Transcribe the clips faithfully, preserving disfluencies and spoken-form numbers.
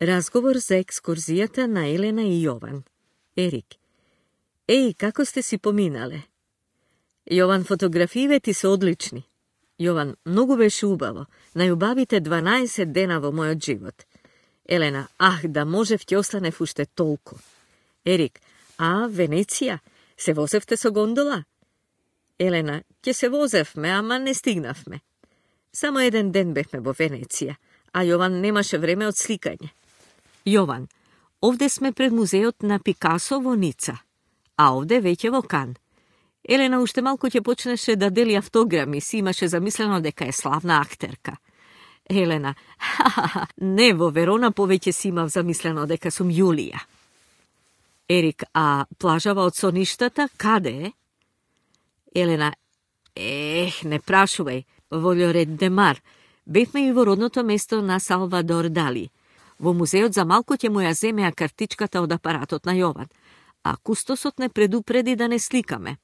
Разговор за екскурзијата на Елена и Јован. Ерик. Еј, како сте си поминале? Јован, фотографиите ти се одлични. Јован, многу беше убаво. Најубавите дванаесет дена во мојот живот. Елена, ах, да можев ќе останев уште толку. Ерик, а, Венеција? Се возевте со гондола? Елена, ќе се возевме, ама не стигнавме. Само еден ден бевме во Венеција, а Јован немаше време од сликање. Јован, овде сме пред музеот на Пикасо во Ница, а овде веќе во Кан. Елена уште малку ќе почнеше да дели автограми, си имаше замислено дека е славна актерка. Елена, ха-ха-ха, не, во Верона повеќе си имав замислено дека сум Јулија. Ерик, а плажава од соништата, каде е? Елена, ех, не прашувај, во Љорет де Мар. Бевме и во родното место на Салвадор Дали. Во музеот за малку ќе му ја земеа картичката од апаратот на Јован, а кустосот не предупреди да не сликаме.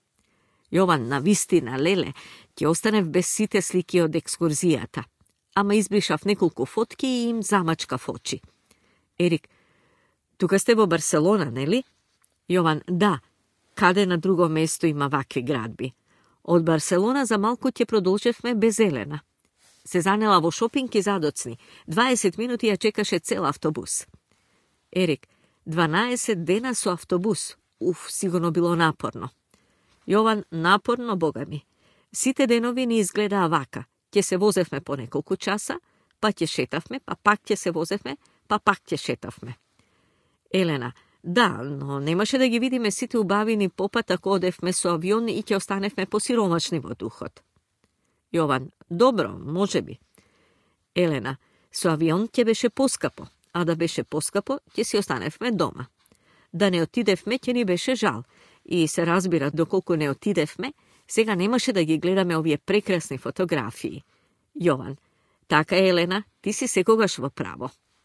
Јован, на вистина, леле, ќе останев без сите слики од екскурзијата. Ама избришав неколку фотки и им замачкав очи. Ерик, тука сте во Барселона, нели? Јован, да. Каде на друго место има вакви градби? Од Барселона за малку ќе продолжевме без Елена. Се занела во шопинг и задоцни. дваесет минути ја чекаше цел автобус. Ерик, дванаесет дена со автобус. Уф, сигурно било напорно. Јован, напорно, бога ми. Сите денови ни изгледаа вака. Ќе се возевме по неколку часа, па ќе шетавме, па пак ќе се возевме, па пак ќе шетавме. Елена, да, но немаше да ги видиме сите убавини попат ако одевме со авион и ќе останевме посиромашни во духот. Јован, добро, може би. Елена, со авион ќе беше поскапо, а да беше поскапо, ќе си останевме дома. Да не отидевме, ќе ни беше жал. И се разбира, доколку не отидевме, сега немаше да ги гледаме овие прекрасни фотографии. Јован, така е, Елена, ти си секогаш во право.